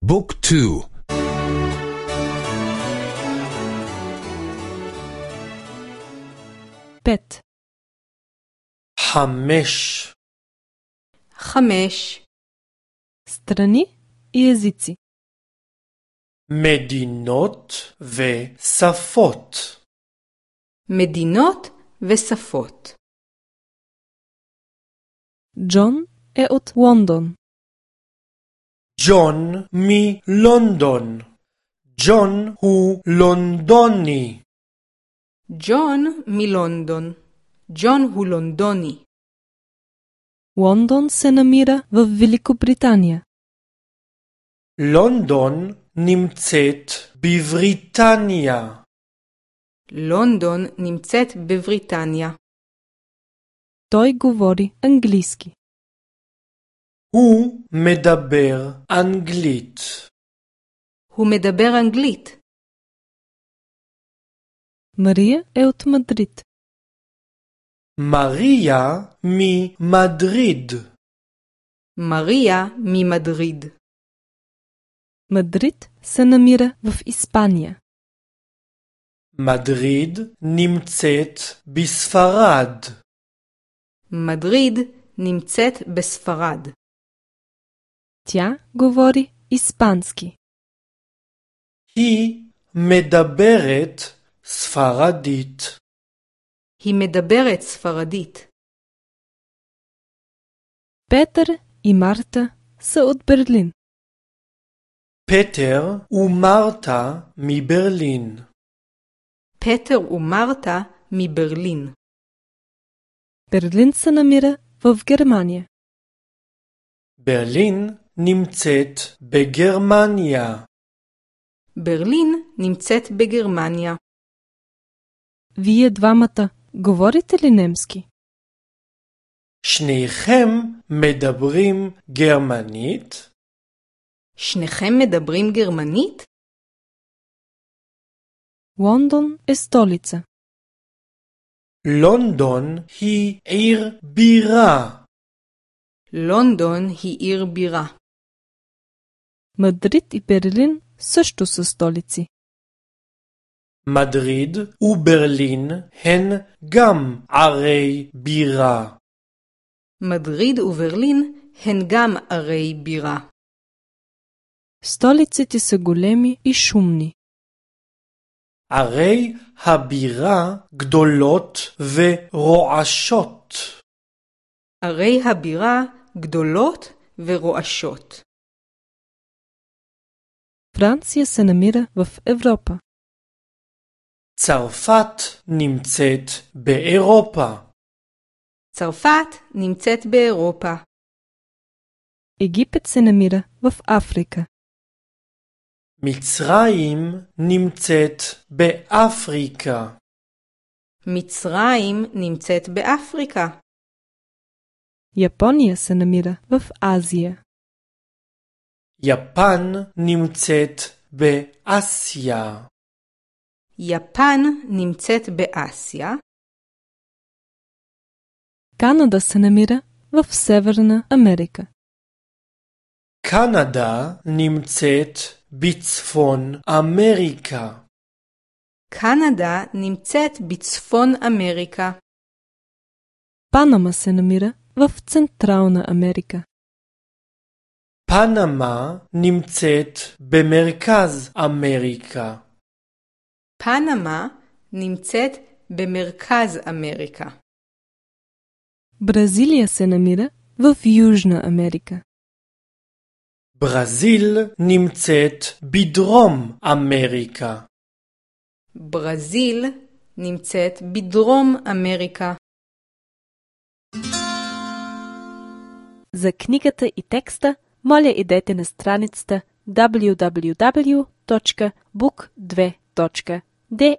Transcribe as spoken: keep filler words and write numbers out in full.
بوك تو. بيت. حمش. خمش. страни и езици. מדינות ושפות. מדינות ושפות. ג'ון е от Лондон. ג'ון מלונדון. ג'ון הוא לונדוני. ג'ון מלונדון. ג'ון הוא лондони. Лондон се намира в Великобритания. לונדון נמצאת בבריטניה. לונדון נמצאת בבריטניה. Той говори английски. הוא מדבר אנגלית. הוא מדבר אנגלית. Мария е от Мадрид. מריה ממדריד. Мария ממדריד. Мадрид се намира в Испания. מדריד נמצאת בספרד. מדריד נמצאת בספרד. Тя говори испански. היא מדברת ספרדית. היא מדברת ספרדית. Петър и Марта са от Берлин. פטר ומרתה מברלין. Петър и Марта מבерлин. Берлин се намира в Германия. ברלין נמצאת בגרמניה. Берлин נמצאת בגרמניה. Вие двамата говорите ли немски? שניכם מדברים גרמנית? שניכם מדברים גרמנית? לונדון е столица. לונדון היא עיר בירה. לונדון היא עיר בירה. Мадрид и Берлин също са столици. מדריד וברלין הן גם ערי בירה. מדריד וברלין הן גם ערי בירה. Столиците са големи и шумни. ערי הבירה גדולות ורועשות. ערי הבירה גדולות ורועשות. Франция се намира в Европа. צרפת נמצאת באירופה. צרפת נמצאת באירופה. Египет се намира в Африка. מצרים נמצאת באפריקה. מצרים נמצאת באפריקה. יפוניה се намира в Азия. יפן נמצאת באסיה. יפן נמצאת באסיה. Канада се намира в Северна Америка. קנדה נמצאת בצפון אמריקה. קנדה נמצאת בצפון אמריקה. Панама се намира в Централна Америка. פנמה נמצאת במרכז אמריקה. פנמה נמצאת במרכז אמריקה. Бразилия се намира в Южна Америка. ברזיל נמצאת בדרום אמריקה. ברזיל נמצאת בדרום אמרика. За книгата и текста, моля идете на страницата даблю даблю даблю точка бук две точка де